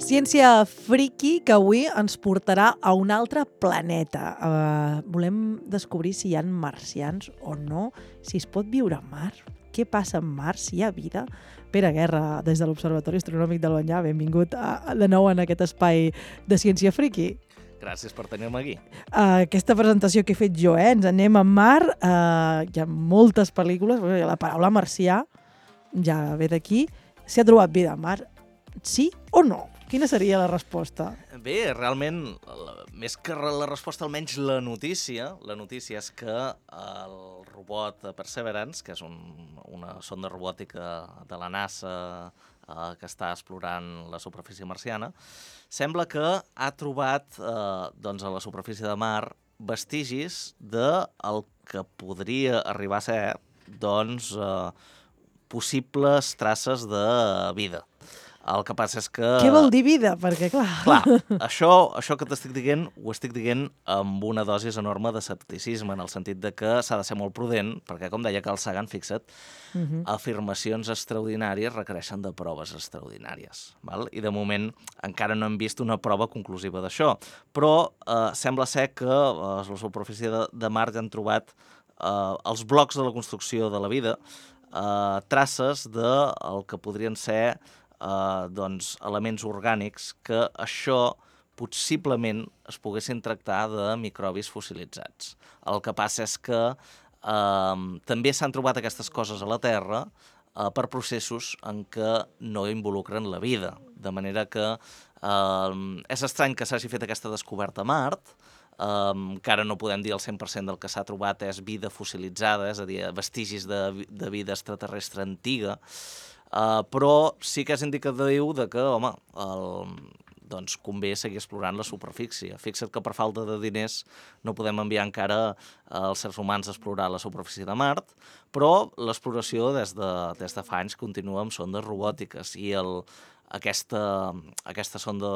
Ciència friki que avui ens portarà a un altre planeta. Volem descobrir si hi ha marcians o no, si es pot viure a Mar, què passa a Mars, si hi ha vida. Pere Guerra, des de l'Observatori Astronòmic del Banyà, benvingut de nou en aquest espai de Ciència friki. Gràcies per tenir-me aquí. Aquesta presentació que he fet jo, ens anem a Mar, hi ha moltes pel·lícules, la paraula marcià ja ve d'aquí. S'hi ha trobat vida a Mar, sí o no? Quina seria la resposta? Bé, realment, més que la resposta, almenys la notícia és que el robot Perseverance, que és una sonda robòtica de la NASA que està explorant la superfície marciana, sembla que ha trobat a la superfície de Mar vestigis del que podria arribar a ser possibles traces de vida. El que passa és que... Què vol dir vida? Perquè, clar... Clar, això que t'estic dient, ho estic dient amb una dosis enorme d'escepticisme, en el sentit de que s'ha de ser molt prudent, perquè, com deia Carl Sagan, fixa't, afirmacions extraordinàries requereixen de proves extraordinàries. Val? I, de moment, encara no hem vist una prova conclusiva d'això. Però sembla ser que a la superfície de Mart han trobat els blocs de la construcció de la vida, traces del que podrien ser elements orgànics que això possiblement es poguessin tractar de microbis fossilitzats. El que passa és que també s'han trobat aquestes coses a la Terra per processos en què no involucren la vida. De manera que és estrany que s'hagi fet aquesta descoberta a Mart, encara no podem dir el 100% del que s'ha trobat és vida fossilitzada, és a dir, vestigis de vida extraterrestre antiga, però sí que és indicatiu de que, home, convé seguir explorant la superfície. Fixa't que per falta de diners no podem enviar encara els seres humans a explorar la superfície de Mart, però l'exploració des de fa anys continua amb sondes robòtiques i aquesta sonda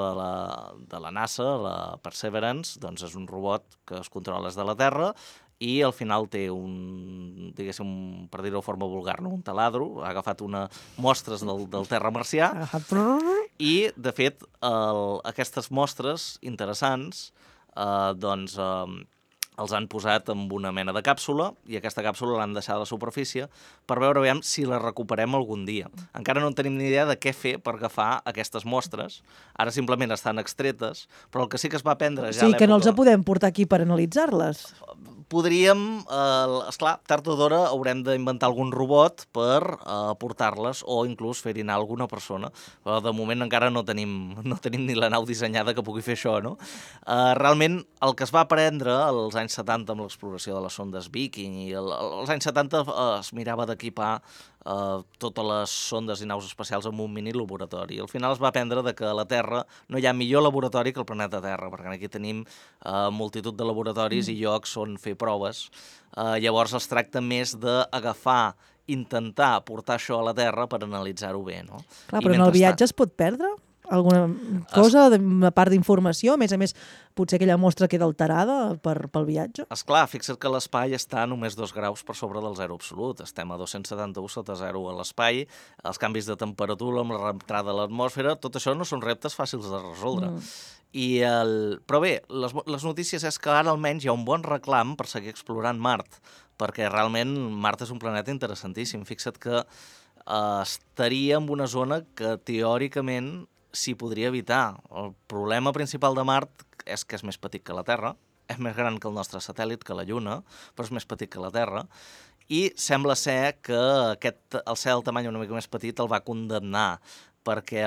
de la NASA, la Perseverance, doncs és un robot que es controla des de la Terra i al final té diguéssim, per dir-ho de forma vulgar, un taladro, ha agafat mostres del terra marcià i, de fet, aquestes mostres interessants els han posat en una mena de càpsula i aquesta càpsula l'han deixat a la superfície per veure si la recuperem algun dia. Encara no en tenim ni idea de què fer per agafar aquestes mostres. Ara simplement estan extretes, però el que sí que es va aprendre ja a l'època... O sigui que no els podem portar aquí per analitzar-les. Podríem, esclar, tard o d'hora haurem d'inventar algun robot per portar-les o inclús fer-hi anar alguna persona. Però de moment encara no tenim ni la nau dissenyada que pugui fer això, no? Realment, el que es va aprendre als anys 70 amb l'exploració de les sondes Viking i als anys 70 es mirava d'equipar totes les sondes i naus espacials en un mini laboratori. Al final es va aprendre que a la Terra no hi ha millor laboratori que el planeta Terra, perquè aquí tenim multitud de laboratoris i llocs on fer proves. Llavors es tracta més d'agafar, intentar portar això a la Terra per analitzar-ho bé, no? Clar, però en el viatge es pot perdre alguna cosa, a part d'informació? A més, potser aquella mostra queda alterada pel viatge? Esclar, fixa't que l'espai està a només 2 graus per sobre del zero absolut. Estem a 271 sota zero a l'espai, els canvis de temperatura amb la reentrada de l'atmosfera, tot això no són reptes fàcils de resoldre. Però bé, les notícies és que ara almenys hi ha un bon reclam per seguir explorant Mart, perquè realment Mart és un planeta interessantíssim. Fixa't que estaria en una zona que teòricament s'hi podria evitar. El problema principal de Mart és que és més petit que la Terra, és més gran que el nostre satèl·lit, que la Lluna, però és més petit que la Terra, i sembla ser que el ser del tamany una mica més petit el va condemnar, perquè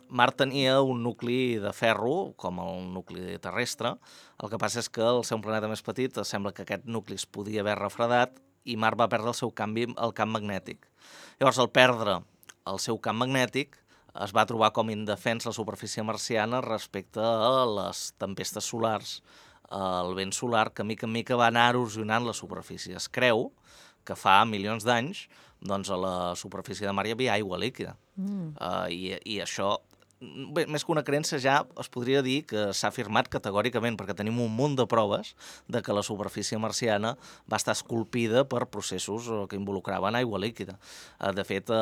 Mart tenia un nucli de ferro, com el nucli terrestre. El que passa és que al ser un planeta més petit sembla que aquest nucli es podia haver refredat i Mart va perdre el camp magnètic. Llavors, al perdre el seu camp magnètic, es va trobar com indefens la superfície marciana respecte a les tempestes solars, el vent solar, que mica en mica va anar erosionant la superfície. Es creu que fa milions d'anys doncs a la superfície de Mar hi havia aigua líquida. I això, bé, més que una creença, ja es podria dir que s'ha afirmat categòricament, perquè tenim un munt de proves de que la superfície marciana va estar esculpida per processos que involucraven aigua líquida. De fet,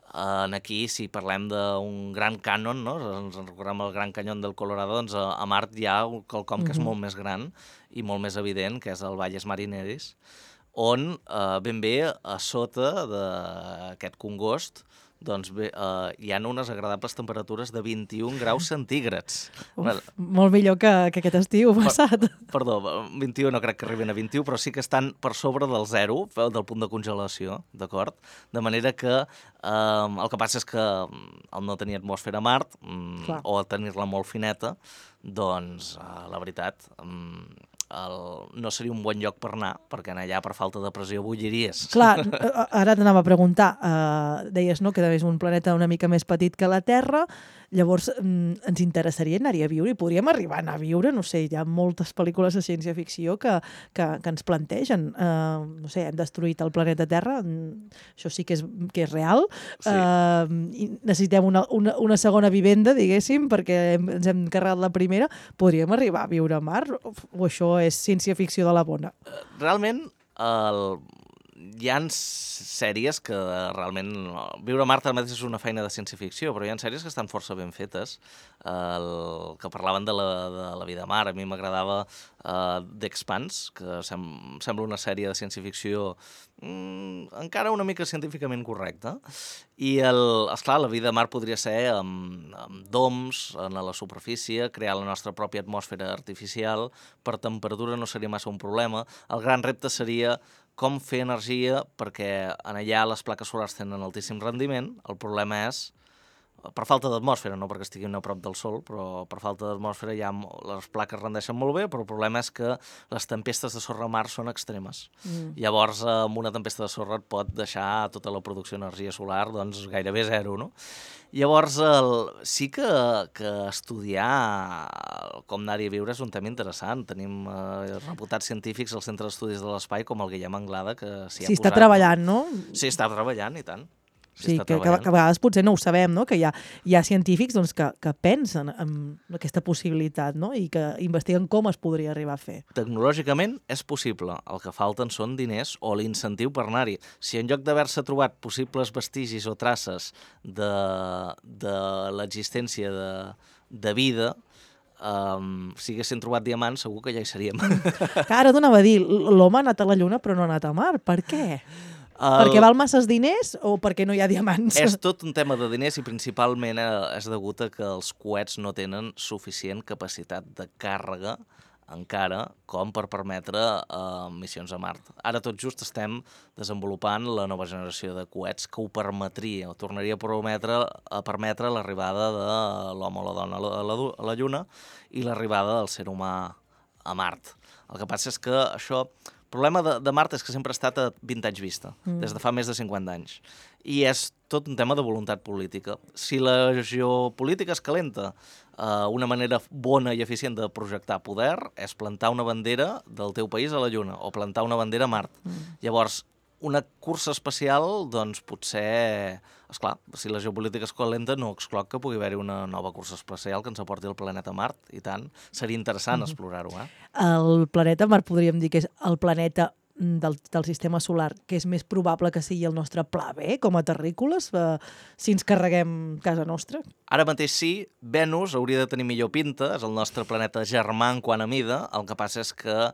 Aquí, si parlem d'un gran cànon, no? Ens recordem el Gran Canyón del Colorado, doncs a Mart hi ha quelcom que és molt més gran i molt més evident, que és el Valles Marineris, on ben bé a sota d'aquest congost doncs bé, hi ha unes agradables temperatures de 21 graus centígrads. Molt millor que aquest estiu passat. Perdó, 21 no crec que arriben a 21, però sí que estan per sobre del 0, del punt de congelació, d'acord? De manera que el que passa és que al no tenir atmosfera a Mart, o a tenir-la molt fineta, doncs, la veritat, no seria un bon lloc per anar, perquè allà per falta de pressió bulliries. Clar, ara t'anava a preguntar, deies no, que és un planeta una mica més petit que la Terra, llavors ens interessaria anar-hi a viure i podríem arribar a anar a viure, no sé, hi ha moltes pel·lícules de ciència-ficció que ens plantegen, no sé, hem destruït el planeta Terra, això sí que és real, i necessitem una segona vivenda, diguéssim, perquè ens hem carregat la primera, podríem arribar a viure a Mar, o això és ciència-ficció de la bona? Realment, hi ha sèries que realment... Viure a Mart ara mateix és una feina de ciència-ficció, però hi ha sèries que estan força ben fetes, que parlaven de la vida a Mar. A mi m'agradava The Expanse, que sembla una sèrie de ciència-ficció encara una mica científicament correcta. I, esclar, la vida a Mar podria ser amb doms a la superfície, crear la nostra pròpia atmosfera artificial. Per temperatura no seria massa un problema. El gran repte seria com fer energia, perquè allà les plaques solars tenen altíssim rendiment. El problema és, per falta d'atmosfera, no perquè estiguin a prop del Sol, però per falta d'atmosfera ja les plaques rendeixen molt bé, però el problema és que les tempestes de sorra a Mart són extremes. Llavors, amb una tempesta de sorra et pot deixar tota la producció d'energia solar doncs, gairebé zero, no? Llavors, sí que estudiar com anar-hi a viure és un tema interessant. Tenim reputats científics al Centre d'Estudis de l'Espai, com el Guillem Anglada, que s'hi ha posat. Sí, està treballant, no? Sí, està treballant, i tant. Sí, que a vegades potser no ho sabem, no? Que hi ha científics doncs, que pensen en aquesta possibilitat, no? I que investiguen com es podria arribar a fer. Tecnològicament és possible. El que falten són diners o l'incentiu per anar-hi. Si en lloc d'haver-se trobat possibles vestigis o traces de l'existència de vida, si haguessin trobat diamants, segur que ja hi seríem. Ara t'anava a dir, l'home ha anat a la Lluna però no ha anat a Mar. Per què? Perquè val masses diners o perquè no hi ha diamants? És tot un tema de diners i principalment és degut a que els coets no tenen suficient capacitat de càrrega encara com per permetre missions a Mart. Ara tot just estem desenvolupant la nova generació de coets que ho permetria, o tornaria a permetre l'arribada de l'home o la dona a la Lluna i l'arribada del ser humà a Mart. El que passa és que això... El problema de Mart és que sempre ha estat a 20 anys vista, des de fa més de 50 anys. I és tot un tema de voluntat política. Si la geopolítica es calenta, una manera bona i eficient de projectar poder és plantar una bandera del teu país a la Lluna o plantar una bandera a Mart. Llavors, una cursa espacial, doncs potser... Esclar, si la geopolítica es calenta, no excloc que pugui haver-hi una nova cursa espacial que ens aporti el planeta Mart, i tant. Seria interessant explorar-ho, El planeta Mart podríem dir que és el planeta del sistema solar que és més probable que sigui el nostre pla B, com a terrícoles, si ens carreguem casa nostra? Ara mateix sí, Venus hauria de tenir millor pinta, és el nostre planeta germà en quant a mida, el que passa és que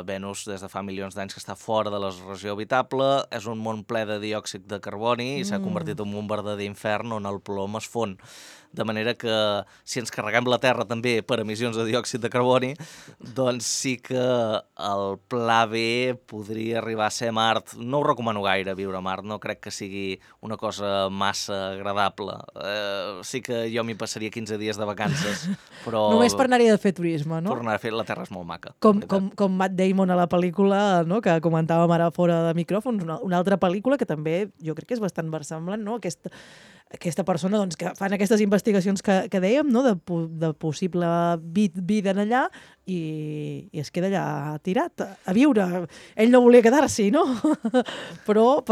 Venus des de fa milions d'anys que està fora de la regió habitable, és un món ple de diòxid de carboni i s'ha convertit en un verdader infern on el plom es fon. De manera que si ens carreguem la Terra també per emissions de diòxid de carboni, doncs sí que el pla B podria arribar a ser Mart. No ho recomano gaire, viure a Mart, no crec que sigui una cosa massa agradable. Sí que jo m'hi passaria 15 dies de vacances, però... Només per anar-hi a fer turisme, no? Per anar a fer, la Terra és molt maca. Com Matt Damon a la pel·lícula, no? Que comentàvem ara fora de micròfons, una altra pel·lícula que també jo crec que és bastant versemblant, no? Aquesta persona doncs, que fan aquestes investigacions que dèiem, no? de possible vida en allà, i es queda allà tirat a viure. Ell no volia quedar-s'hi, no? però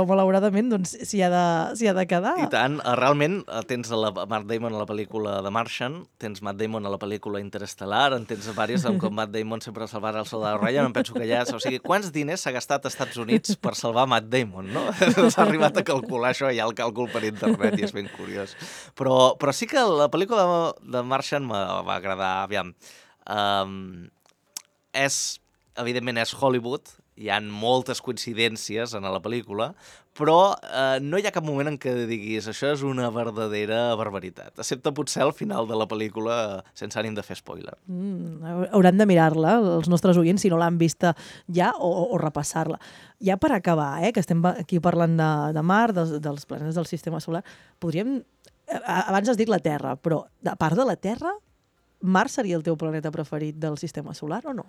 malauradament doncs, s'hi ha de quedar. I tant, realment tens Matt Damon a la pel·lícula The Martian, tens Matt Damon a la pel·lícula Interestelar, en tens diverses com Matt Damon sempre salvarà el soldado Ryan, em penso que ja... O sigui, quants diners s'ha gastat als Estats Units per salvar Matt Damon, no? S'ha arribat a calcular això, hi ha el càlcul per internet i és ben curiós. Però sí que la pel·lícula de Martian me va agradar, aviam. Evidentment és Hollywood, hi ha moltes coincidències en la pel·lícula, però no hi ha cap moment en què diguis això és una verdadera barbaritat, excepte potser al final de la pel·lícula, sense ànim de fer spoiler. Hauran de mirar-la, els nostres oients, si no l'han vista ja, o repassar-la. Ja per acabar, que estem aquí parlant de mar, dels planetes del sistema solar, podríem... Abans has dit la Terra, però a part de la Terra, Mars seria el teu planeta preferit del sistema solar o no?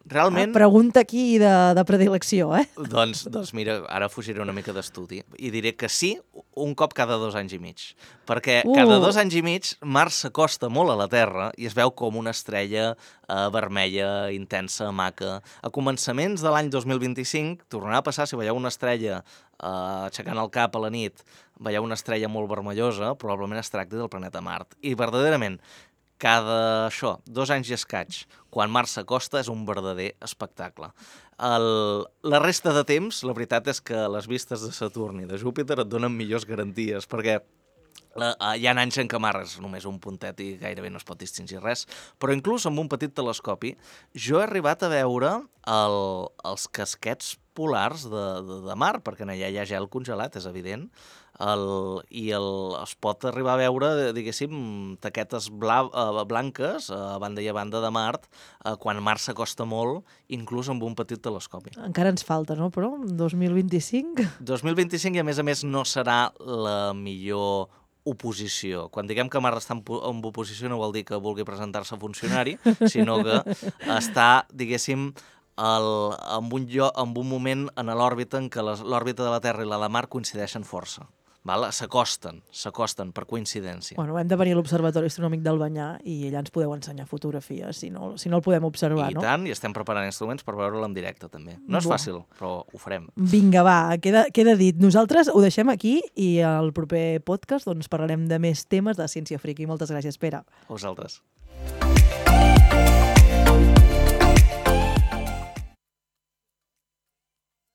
Realment... Pregunta aquí de predilecció, Doncs mira, ara fugiré una mica d'estudi i diré que sí, un cop cada 2 anys i mig. Perquè cada 2 anys i mig Mars s'acosta molt a la Terra i es veu com una estrella vermella, intensa, maca. A començaments de l'any 2025 tornarà a passar, si veieu una estrella aixecant el cap a la nit, veieu una estrella molt vermellosa, probablement es tracti del planeta Mart. I verdaderament, cada 2 anys i escaig, quan Mars s'acosta, és un verdader espectacle. La resta de temps, la veritat és que les vistes de Saturn i de Júpiter et donen millors garanties, perquè hi ha anys en què Mars és només un puntet i gairebé no es pot distingir res, però inclús amb un petit telescopi jo he arribat a veure els casquets polars de mar, perquè allà hi ha gel congelat, és evident, i es pot arribar a veure, diguéssim, taquetes blanques a banda i a banda de Mart, quan Mars s'acosta molt, inclús amb un petit telescopi. Encara ens falta, no? Però 2025... 2025 i, a més, no serà la millor oposició. Quan diguem que Mars està en oposició no vol dir que vulgui presentar-se a funcionari, sinó que està, diguéssim, en un moment en l'òrbita en què l'òrbita de la Terra i la de Mart coincideixen força. S'acosten per coincidència. Bueno, hem de venir a l'Observatori Astronòmic d'Albanyà i allà ens podeu ensenyar fotografies, si no el podem observar, no? I tant, i estem preparant instruments per veure-lo en directe, també. No és fàcil, però ho farem. Vinga, va, queda dit. Nosaltres ho deixem aquí i al proper podcast doncs, parlarem de més temes de ciència friki. Moltes gràcies, Pere. A vosaltres.